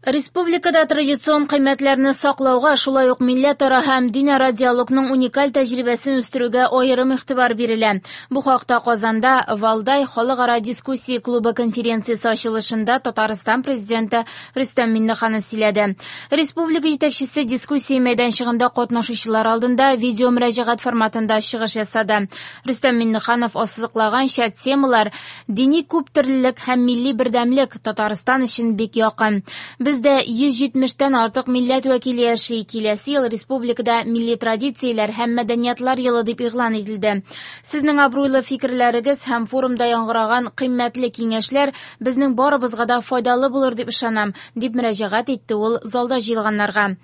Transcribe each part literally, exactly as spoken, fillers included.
Республикада традицион кыйммәтләрне саклауга, шулай ук милләтара һәм динара диалогның уникаль тәҗрибәсен үстерүгә аерым игътибар бирелә. Бу хакта Казанда Валдай халыкара дискуссия клубы конференциясе ачылышында Татарстан президенты Рөстәм Миңнеханов сөйләде. Республика җитәкчесе дискуссия мәйданчыгында катнашучылар алдында видео мөрәҗәгать форматында чыгыш ясады. Рөстәм Миңнеханов ассызыклаганча, темалар дини күптөрлелек һәм милли бердәмлек Татарстан өчен бик якын. Бездә йөз җитмештән артык милләт вәкиле яши. Киләсе ел республикада милли традицияләр һәм мәдәниятлар елы дип игълан ителде. Сезнең абруйлы фикерләрегез һәм форумда яңгыраган кыйммәтле киңәшләр безнең барыбызга да файдалы булыр дип ышанам, дип мөрәҗәгать итте ул залда җыелганнарга.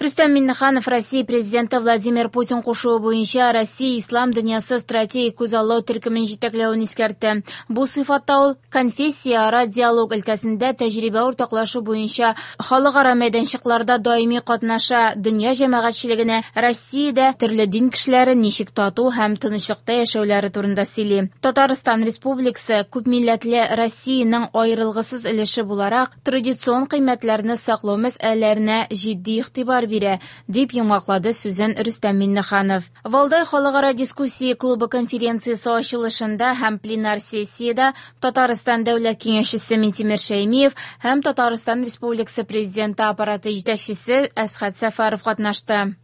Рөстәм Миңнеханов Россия президенты Владимир Путин кушуы буенча Россия ислам дөньясы стратегик күзаллау төркемен җитәкләвен искәртте. Бу сыйфатта ул конфессияара диалог өлкәсендә тәҗрибә уртаклашу буенча халыкара мәйданчыкларда даими катнаша, дөнья җәмәгатьчелегенә Россиядә төрле дин кешеләре ничек тату һәм тынычлыкта яшәүләре турында сөйли. Татарстан Республикасы күпмилләтле Россиянең аерылгысыз өлеше буларак традицион кыйммәтләрне саклау мәсьәләләренә җитди игътибар бирә, дип йомгаклады сүзен Рөстәм Миңнеханов. Валдай халыкара дискуссия клубы конференциясе ачылышында һәм пленар сессиядә Татарстан Дәүләт Киңәшчесе Минтимер Шәймиев һәм Татарстан Республикасы Президенты аппараты җитәкчесе Әсхәт Сәфәров катнашты.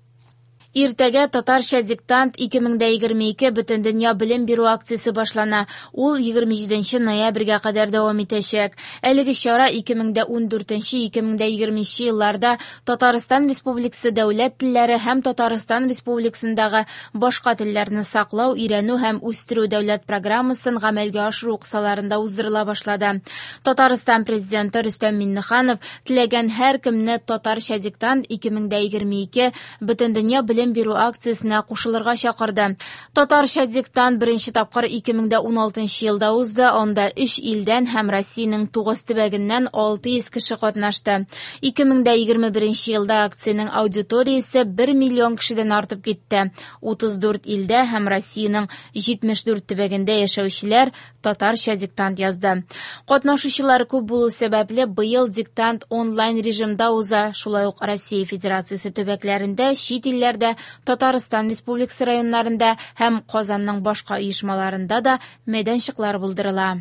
Иртәгә татарча диктант ике мең дә егерме ике Бөтендөнья белем бирү акциясе башлана. Ул егерме җиденче ноябрьгә кадәр дәвам итәчәк. Әлеге чара ике мең дә ундүртенче ике мең дә егерменче елларда Татарстан Республикасы дәүләт телләре һәм Татарстан Республикасындагы башка телләрне саклау, өйрәнү һәм үстерү дәүләт программасын гамәлгә ашыру кысаларында уздырыла башлады. Татарстан президенты Рөстәм Миңнеханов теләгән һәркемне татарча диктант ике мең дә егерме ике Бөтендөнья белем бирү акциясенә кушылырга чакырды. Татарча диктант беренче тапкыр ике мең дә уналтынчы елда узды. Анда өч илдән һәм Россиянең тугыз төбәгеннән алты йөз кеше катнашты. Ике мең дә егерме беренче елда акциянең аудиториясе бер миллион кешедән артып китте. Утыз дүрт илдә һәм Россиянең җитмеш дүрт төбәгендә яшәүчеләр татарча диктант язды. Катнашучылар күп булу сәбәпле быел диктант онлайн режимда уза. Шулай ук Россия Федерациясе төбәкләрендә, чит илләрдә, Татарстан Республикасы районнарында һәм Казанның башка оешмаларында да мәйданчыклар булдырыла.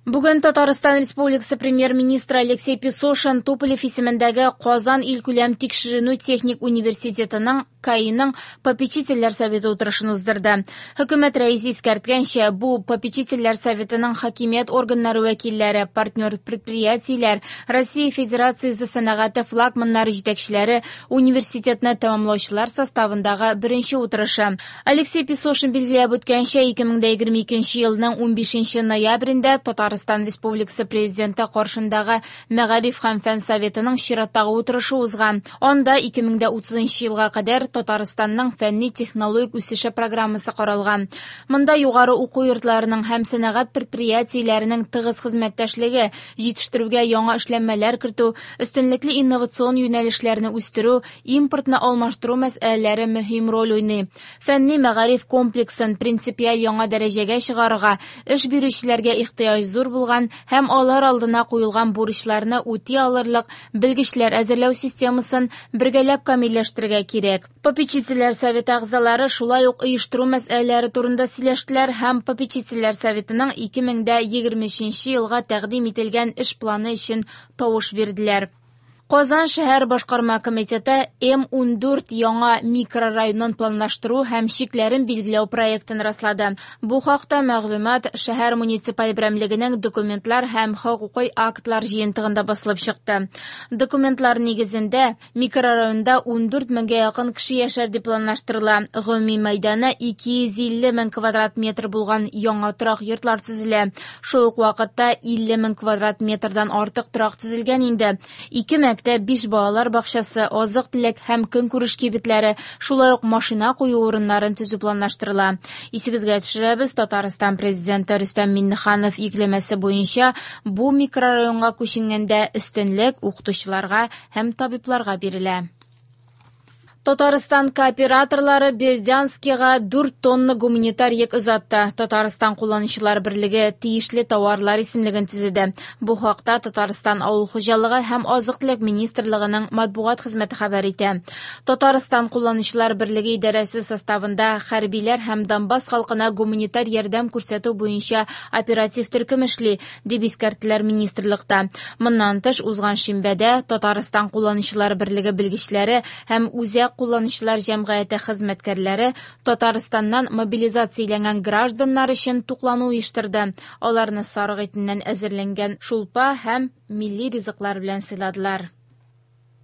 Бүген Татарстан Республикасы премьер-министры Алексей Песошин Туполев исемендәге Казан илкүләм тикшеренү техник университетының КАИның попечительләр советы утырышын уздырды. Хөкүмәт рәисе искәрткәнчә, бу попечительләр советының хакимият органнары вәкилләре, партнер предприятиеләр, Россия Федерациясе сәнәгате флагманнары җитәкчеләре университетны тәмамлаучылар составындагы беренче утырышы. Алексей Песошин билгеләп үткәнчә, ике мең дә егерме икенче елның унбишенче ноябрендә Татарстан Республикасы президенты каршындагы Мәгариф һәм фән советының чираттагы утырышы узган. Анда ике мең дә утызынчы елга кадәр Татарстанның фәнни технологик үсеше программасы каралган. Монда югары уку йортларының һәм сәнәгать предприятиеләренең тыгыз хезмәттәшлеге, җитештерүгә яңа эшләнмәләр кертү, өстенлекле инновацион юнәлешләрне үстерү, импортны алмаштыру мәсьәләләре мөһим роль уйный. Фәнни мәгариф комплексын принципиаль яңа дәрәҗәгә чыгарырга, эш бирүчеләргә ихтыяҗ зур булган һәм алар алдына куелган бурычларны үти алырлык белгечләр әзерләү системасын бергәләп камилләштерергә кирәк. Попечительләр советы әгъзалары шулай ук оештыру мәсьәләләре турында сөйләштеләр һәм попечительләр советының ике мең дә егерме өченче елга тәкъдим ителгән эш планы өчен тавыш бирделәр. Казан шәһәр башкарма комитеты М ундүрт яңа микрорайонын планлаштыру һәм чикләрен билгеләү проектын раслады. Бу хакта мәгълүмат шәһәр муниципаль берәмлегенең документлар һәм хокукый актлар җыентыгында басылып чыкты. Документлар нигезендә микрорайонда ундүрт меңгә якын кеше яшәр дип планлаштырыла. Гомуми мәйданы ике йөз илле мең квадрат метр булган яңа торак йортлар төзелә. Шул ук вакытта илле мең квадрат метрдан артык торак төзелгән инде. Ике мәктәп, биш балалар бакчасы, азык-төлек һәм көнкүреш кибетләре, шулай ук машина кую урыннарын төзү планлаштырыла. Исегезгә төшерәбез, Татарстан президенты Рөстәм Миңнеханов йөкләмәсе буенча бу микрорайонга күченгәндә өстенлек укытучыларга һәм табибларга бирелә. Татарстан кооператорлары Бердянскига дүрт тонна гуманитар йөк озатты. Татарстан кулланучылар берлеге тиешле товарлар исемлеген төзеде. Бу хакта Татарстан Авыл хуҗалыгы һәм азык-төлек министрлыгының матбугат хезмәте хәбәр итә. Татарстан кулланучылар берлеге идарәсе составында хәрбиләр һәм Донбасс халкына гуманитар ярдәм күрсәтү буенча оператив төркем эшли, дип искәрттеләр министрлыкта. Моннан тыш, узган шимбәдә Татарстан кулланучылар берлеге белгечләре һәм Үзәк кулланучылар җәмгыяте хезмәткәрләре Татарстаннан мобилизацияләнгән гражданнар өчен туклану оештырды. Аларны сарык итеннән әзерләнгән шулпа һәм милли ризыклар белән сыйладылар.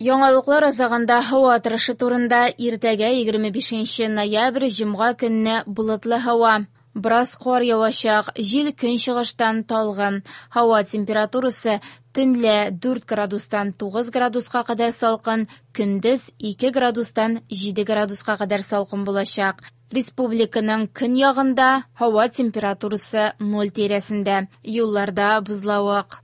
Яңалыклар азагында һава торышы турында. Иртәгә, егерме бишенче ноябрь, җомга көнне болытлы һава. Бераз кар явачак, җил көнчыгыштан талгын. Һава температурасы төнлә дүрт градустан тугыз градуска кадәр салкын, көндез ике градустан җиде градуска кадәр салкын булачак. Республиканың көньягында һава температурасы ноль тирәсендә. Юлларда бозлавык.